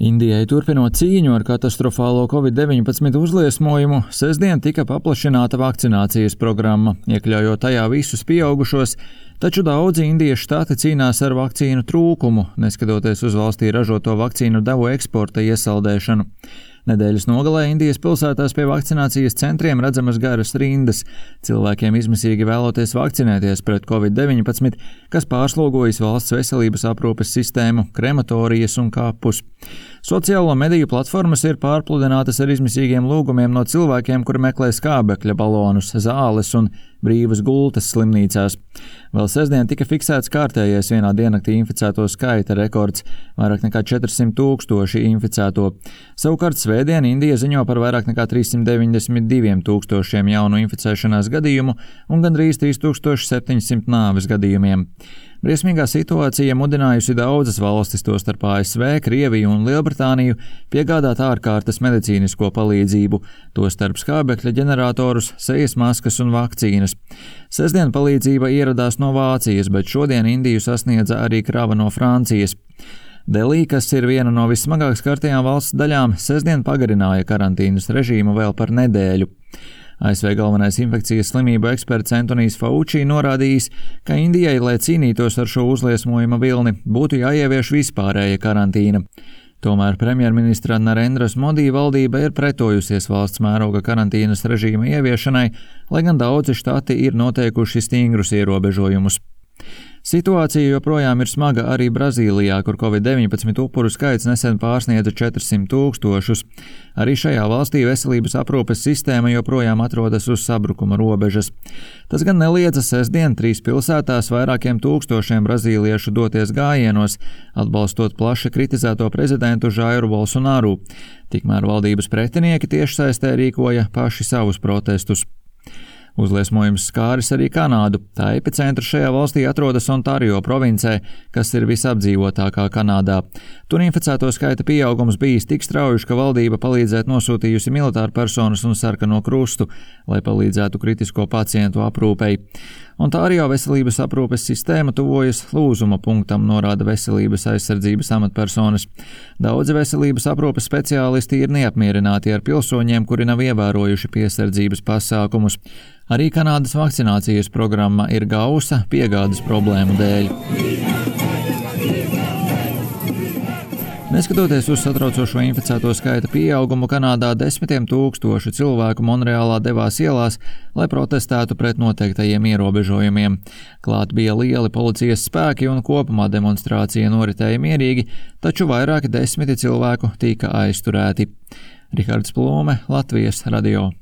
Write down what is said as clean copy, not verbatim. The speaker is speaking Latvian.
Indijai turpinot cīņu ar katastrofālo Covid-19 uzliesmojumu, sestdien tika paplašināta vakcinācijas programma, iekļaujot tajā visus pieaugušos, taču daudzi Indijas štati cīnās ar vakcīnu trūkumu, neskatoties uz valstī ražoto vakcīnu devu eksporta iesaldēšanu. Nedēļas nogalē Indijas pilsētās pie vakcinācijas centriem redzamas garas rindas, cilvēkiem izmisīgi vēloties vakcinēties pret Covid-19, kas pārslogojas valsts veselības aprūpes sistēmu, krematorijas un kapus. Sociālo mediju platformas ir pārpludinātas ar izmisīgiem lūgumiem no cilvēkiem, kuri meklē skābekļa balonus, zāles un brīvas gultas slimnīcās. Vēl sestdien tika fiksēts kārtējais vienā diennaktī inficēto skaita rekords – vairāk nekā 400 000 inficēto. Savukārt svētdien Indija ziņo par vairāk nekā 392 000 jaunu inficēšanās gadījumu un gandrīz 3700 nāves gadījumiem. Briesmīgā situācija mudinājusi daudzas valstis, tostarp ASV, Krieviju un Lielbritāniju, piegādāt ārkārtas medicīnisko palīdzību, tostarp skābekļa ģeneratorus, sejas maskas un vakcīnas. Sestdien palīdzība ieradās no Vācijas, bet šodien Indiju sasniedza arī krava no Francijas. Delī, kas ir viena no vissmagāk skartajām valsts daļām, sestdien pagarināja karantīnas režīmu vēl par nedēļu. ASV galvenais infekcijas slimību eksperts Antonijs Fauci norādījis, ka Indijai, lai cīnītos ar šo uzliesmojuma vilni, būtu jāievieš vispārēja karantīna. Tomēr premjerministra Narendras Modi valdība ir pretojusies valsts mēroga karantīnas režīma ieviešanai, lai gan daudzi štati ir noteikuši stingrus ierobežojumus. Situācija joprojām ir smaga arī Brazīlijā, kur Covid-19 upuru skaits nesen pārsniedza 400 000. Arī šajā valstī veselības aprūpes sistēma joprojām atrodas uz sabrukuma robežas. Tas gan neliedza sestdien 3 pilsētās vairākiem tūkstošiem brazīliešu doties gājienos, atbalstot plaši kritizēto prezidentu Jairu Bolsonaru. Tikmēr valdības pretinieki tiešsaistē rīkoja paši savus protestus. Uzliesmojums skāris arī Kanādu. Tā epicentrs šajā valstī atrodas Ontario provincē, kas ir visapdzīvotākā Kanādā. Tur inficēto skaita pieaugums bijis tik strauji, ka valdība palīdzēt nosūtījusi militāru personas un sarkano krustu, lai palīdzētu kritisko pacientu aprūpei. Ontario veselības aprūpes sistēma tuvojas lūzuma punktam, norāda veselības aizsardzības amatpersonas. Daudzi veselības aprūpes speciālisti ir neapmierināti ar pilsoņiem, kuri nav ievērojuši piesardzības pasākumus. Arī Kanādas vakcinācijas programma ir gausa piegādes problēmu dēļ. Neskatoties uz satraucošo inficēto skaita pieaugumu, Kanādā desmitiem tūkstoši cilvēku Monreālā devās ielās, lai protestētu pret noteiktajiem ierobežojumiem. Klāt bija lieli policijas spēki un kopumā demonstrācija noritēja mierīgi, taču vairāki desmiti cilvēku tika aizturēti. Rihards Plūme, Latvijas radio.